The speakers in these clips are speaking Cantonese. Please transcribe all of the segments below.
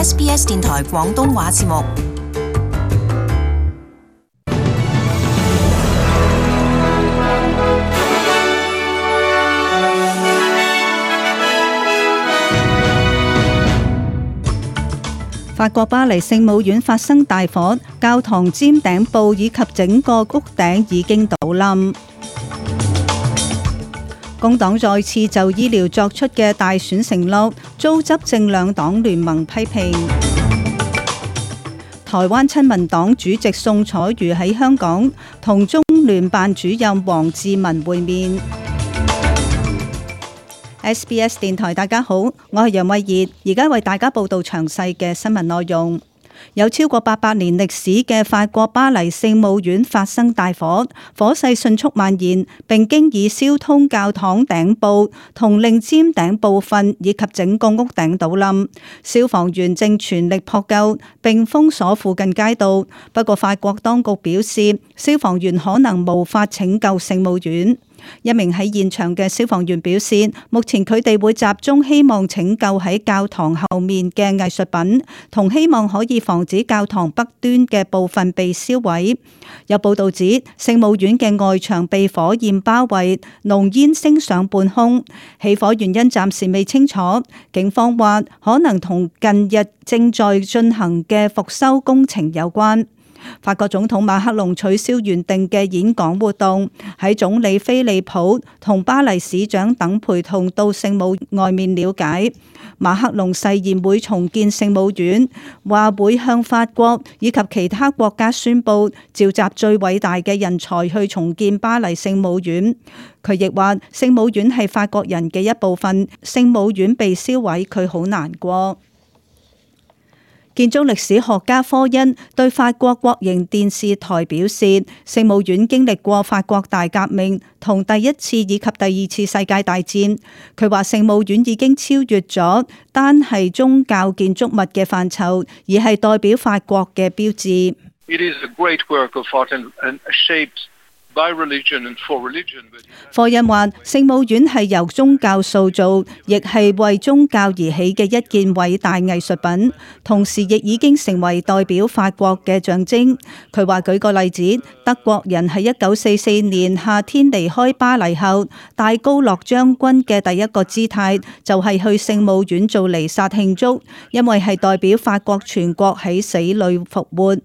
SBS 電台廣東話節目。法國巴黎聖母院發生大火，教堂尖頂部以及整個屋頂已經倒冧。工黨再次就醫療作出嘅大選承諾，遭執政兩黨聯盟批評。台灣親民黨主席宋楚瑜喺香港同中聯辦主任王志民會面。SBS 電台，大家好，我係楊慧儀，而家為大家報道詳細嘅新聞內容。有超過800年歷史嘅法國巴黎聖母院發生大火，火勢迅速蔓延，並經已燒通教堂頂部同令尖頂部分以及整個屋頂倒冧。消防員正全力撲救並封鎖附近街道，不過法國當局表示，消防員可能無法拯救聖母院。一名喺現場嘅消防員表示，目前佢哋會集中希望拯救喺教堂後面嘅藝術品，同希望可以防止教堂北端嘅部分被燒毀。有報道指，聖母院嘅外牆被火焰包圍，濃煙升上半空。起火原因暫時未清楚，警方話可能同近日正在進行嘅復修工程有關。法國總統馬克龍取消原定嘅演講活動，喺總理菲利普同巴黎市長等陪同到聖母外面了解。馬克龍誓言會重建聖母院，話會向法國以及其他國家宣布召集最偉大嘅人才去重建巴黎聖母院。佢亦話聖母院係法國人嘅一部分，聖母院被燒毀，佢好難過。建築歷史學家科恩對法國國營電視台表示，聖母院經歷過法國大革命同第一次以及第二次世界大戰。佢話聖母院已經超越咗單係宗教建築物嘅範疇，而係代表法國嘅標誌。科恩話：聖母院係由宗教塑造，亦係為宗教而起嘅一件偉大藝術品，同時亦已經成為代表法國嘅象徵。佢話舉個例子，德國人喺1944年夏天離開巴黎後，戴高樂將軍嘅第一個姿態就係去聖母院做彌撒慶祝，因為係代表法國全國喺死裏復活。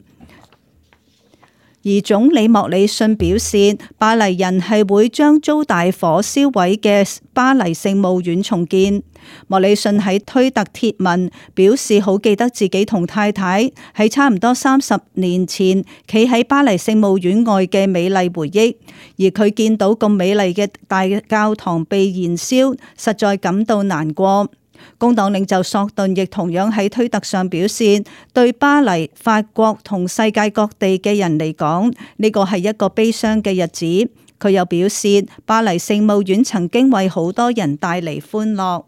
而總理莫里遜表示，巴黎人係會將遭大火燒毀嘅巴黎聖母院重建。莫里遜喺推特貼文表示，好記得自己同太太喺差唔多30年前企喺巴黎聖母院外嘅美麗回憶，而佢見到咁美麗嘅大教堂被燃燒，實在感到難過。工黨領袖索頓亦同樣喺推特上表示，對巴黎、法國同世界各地嘅人嚟講，呢個係一個悲傷嘅日子。佢又表示，巴黎聖母院曾經為好多人帶嚟歡樂。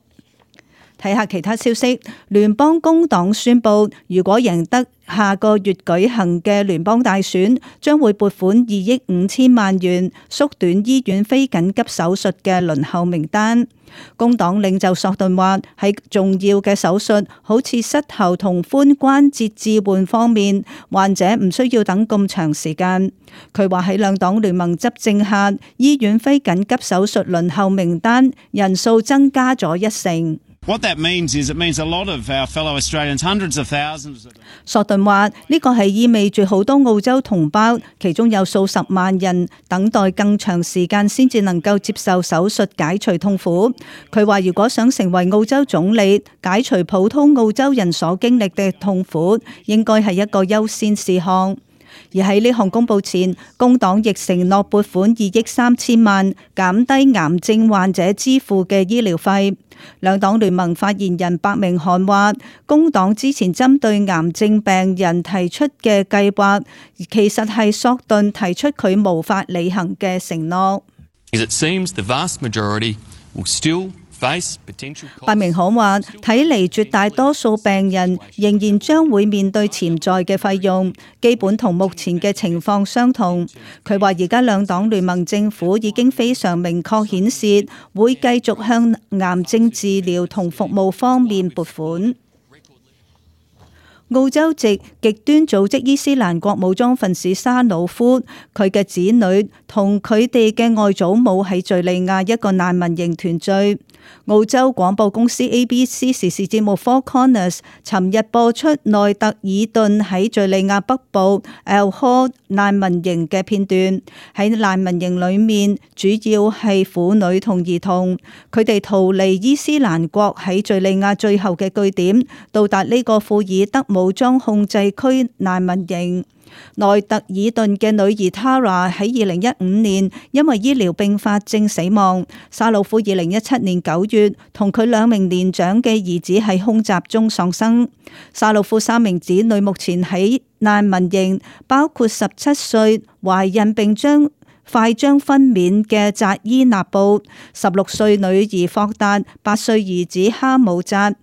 睇下其他消息，聯邦工黨宣布，如果贏得下個月舉行嘅聯邦大選，將會撥款2億5千萬元，縮短醫院非緊急手術嘅輪候名單。工黨領袖索頓話，喺重要嘅手術，好似膝頭同髖關節置換方面，患者唔需要等咁長時間。佢話喺兩黨聯盟執政下，醫院非緊急手術輪候名單人數增加咗1成。What that means is it means a lot of our fellow Australians, hundreds of thousands of them. 索頓話呢個係意味住好多澳洲同胞，其中有數十萬人等待更長時間先至能夠接受手術解除痛苦。佢話如果想成為澳洲總理，解除普通澳洲人所經歷嘅痛苦，應該係一個優先事項。而喺呢項公佈前，工黨亦承諾撥款2億3千萬，減低癌症患者支付嘅醫療費。兩黨聯盟發言人白明翰話，工黨之前針對癌症病人提出嘅計劃，其實係索頓提出佢無法履行嘅承諾。白明翰話，睇嚟絕大多數病人仍然將會面對潛在嘅費用，基本同目前嘅情況相同。佢話而家兩黨聯盟政府已經非常明確顯示，會繼續向癌症治療同服務方面撥款。澳洲籍極端組織伊斯蘭國武裝分子沙魯夫，佢嘅子女同佢哋嘅外祖母喺敘利亞一個難民營團聚。澳洲廣播公司 ABC 時事節目 Four Corners 尋日播出內特爾頓喺敘利亞北部 El Hol 難民營嘅片段。喺難民營裏面，主要係婦女同兒童，佢哋逃離伊斯蘭國喺敘利亞最後嘅據點，到達呢個庫爾德武裝控制區難民營。內特爾頓嘅女兒 Tara 喺2015年因為醫療併發症死亡。沙魯夫2017年9月同佢2名年長嘅兒子喺空襲中喪生。沙魯夫3名子女目前喺難民營，包括17歲懷孕並快將分娩嘅扎伊納布、16歲女兒霍達、8歲兒子哈姆扎。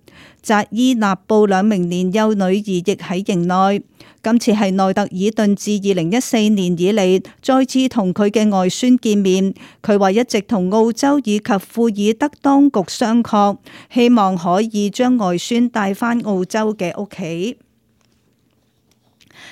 扎伊納布2名年幼女兒亦喺營內。今次係內特爾頓自2014年以嚟再次同佢嘅外孫見面。佢話一直同澳洲以及庫爾德當局商榷，希望可以將外孫帶返澳洲嘅屋企。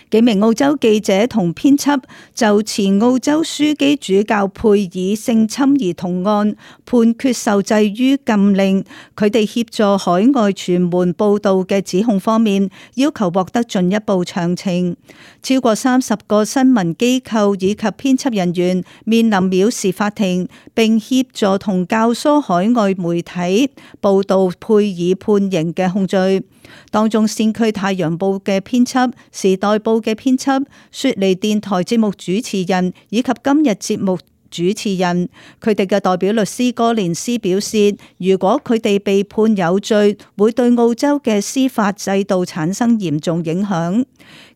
幾名澳洲記者同編輯就前澳洲樞機主教佩爾性侵兒童案判決受制於禁令，佢哋協助海外傳媒報道嘅指控方面，要求獲得進一步詳情。超過30個新聞機構以及編輯人員面臨藐視法庭，並協助同教唆海外媒體報道佩爾判刑嘅控罪。當中先驅太陽報嘅編輯、時代報嘅編輯、雪梨電台節目主持人以及今日節目主持人，佢哋嘅代表律師哥連斯表示，如果佢哋被判有罪，會對澳洲嘅司法制度產生嚴重影響。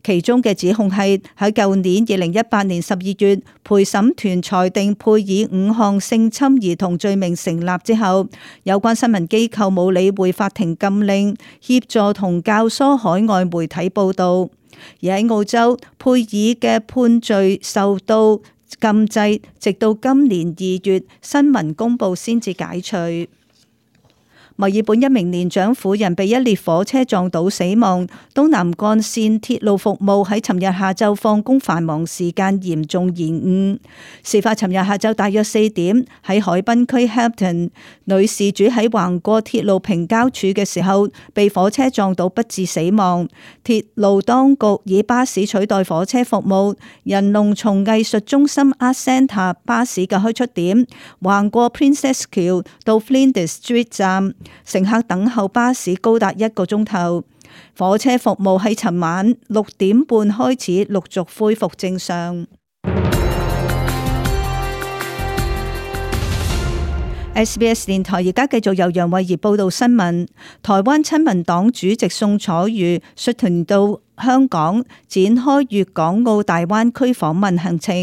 其中嘅指控係喺舊年2018年12月，陪審團裁定佩爾5項性侵兒童罪名成立之後，有關新聞機構冇理會法庭禁令，協助同教唆海外媒體報道。而喺澳洲，佩爾嘅判罪受到禁制，直到今年2月新聞公佈先至解除。墨爾本一名年長婦人被一列火車撞倒死亡，東南幹線鐵路服務喺尋日下晝放工繁忙時間嚴重延誤。事發尋日下晝大約4點，喺海濱區 Hampton， 女事主喺橫過鐵路平交處嘅時候被火車撞到不治死亡。鐵路當局以巴士取代火車服務，人龍從藝術中心 Art Centre 巴士嘅開出點橫過 Princess 橋到 Flinders Street 站。乘客等候巴士高達1個鐘頭。火車服務喺尋晚6點半開始陸續恢復正常。SBS 電台而家繼續由楊慧儀報道新聞。台灣親民黨主席宋楚瑜率團到香港展開粵港澳大灣區訪問行程。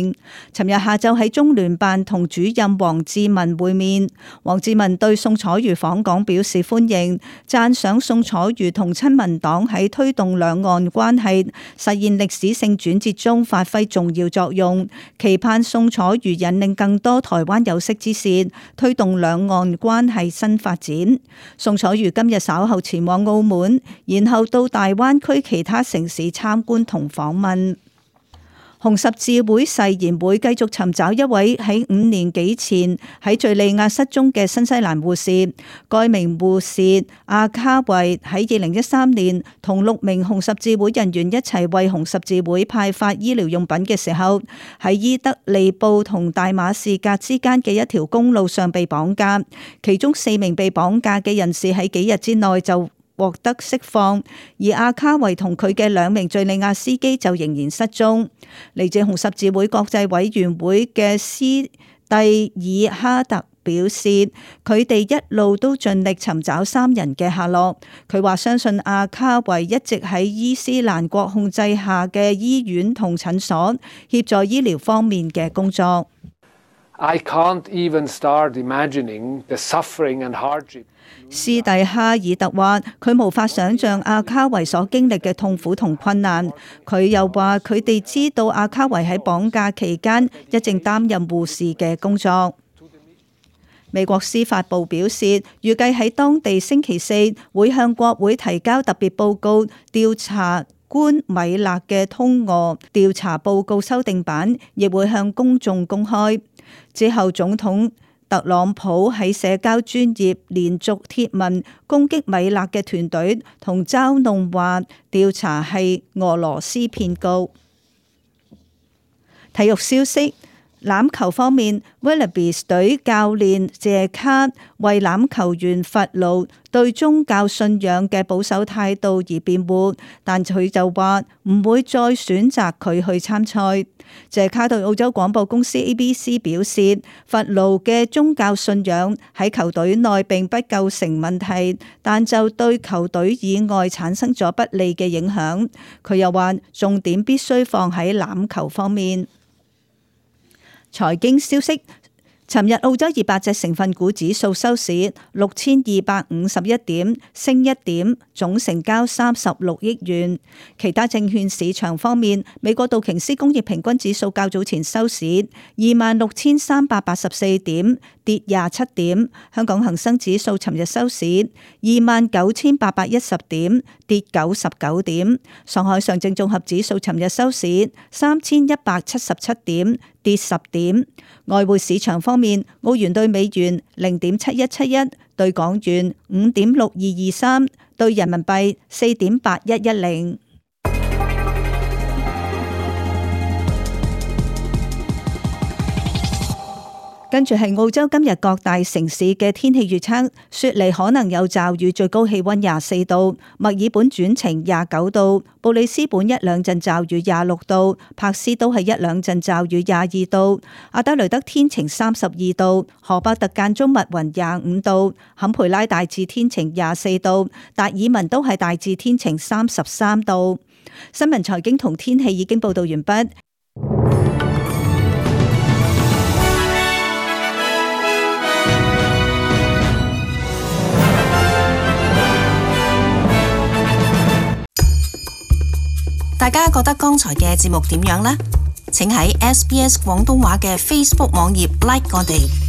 尋日下晝喺中聯辦同主任黃志文會面，黃志文對宋楚瑜訪港表示歡迎，讚賞宋楚瑜同親民黨喺推動兩岸關係實現歷史性轉折中發揮重要作用，期盼宋楚瑜引領更多台灣有識之士推動兩岸關係新發展。宋楚瑜今日稍後前往澳門，然後到大灣區其他城市參觀同訪問。紅十字會誓言會繼續尋找一位喺5年幾前喺敘利亞失蹤嘅新西蘭護士。該名護士阿卡維喺2013年同6名紅十字會人員一齊為紅十字會派發醫療用品嘅時候，喺伊德利布同大馬士革之間嘅一條公路上被綁架。其中4名被綁架嘅人士喺幾日之內就獲得釋放，而阿卡維同佢嘅2名敘利亞司機就仍然失蹤。嚟自紅十字會國際委員會嘅斯蒂爾哈特表示，佢哋一路都盡力尋找3人嘅下落。佢話相信阿卡維一直喺伊斯蘭國控制下嘅醫院同診所協助醫療方面嘅工作。I can't even start imagining the suffering and hardship. 斯蒂哈爾特話：佢無法想像阿卡維所經歷嘅痛苦同困難。佢又話：佢哋知道阿卡維喺綁架期間一直擔任護士嘅工作。美國司法部表示，預計喺當地星期四會向國會提交特別報告，調查官米勒嘅通俄調查報告修訂版，亦會向公眾公開。之後，總統特朗普喺社交專頁連續貼文攻擊米勒嘅團隊，同嘲弄話調查係俄羅斯騙局。體育消息。欖球方面 ，Wallabies 隊教練謝卡為欖球員弗勞對宗教信仰嘅保守態度而辯護，但佢就話唔會再選擇佢去參賽。謝卡對澳洲廣播公司 ABC 表示，弗勞嘅宗教信仰喺球隊內並不構成問題，但就對球隊以外產生咗不利嘅影響。佢又話重點必須放喺欖球方面。財經消息，尋日澳洲200隻成分股指數收市6251點，升1點，總成交36億元。其他證券市場方面，美國道瓊斯工業平均指數較早前收市26,384點，跌27點。香港恒生指數尋日收市29,810點，跌99點。上海上證綜合指數尋日收市3,177點，跌10點。外匯市場方面，澳元對美元0.7171，對港元5.6223，對人民幣4.8110。跟住係澳洲今日各大城市嘅天氣預測，雪梨可能有驟雨，最高氣溫24度；墨爾本轉晴29度；布里斯本一兩陣驟雨26度；柏斯都係一兩陣驟雨22度；阿德雷德天晴32度；荷伯特間中密雲25度；坎培拉大致天晴24度；達爾文都係大致天晴33度。新聞財經同天氣已經報道完畢。大家覺得剛才嘅節目點樣呢？請喺SBS 廣東話嘅 Facebook 網頁 like 我哋。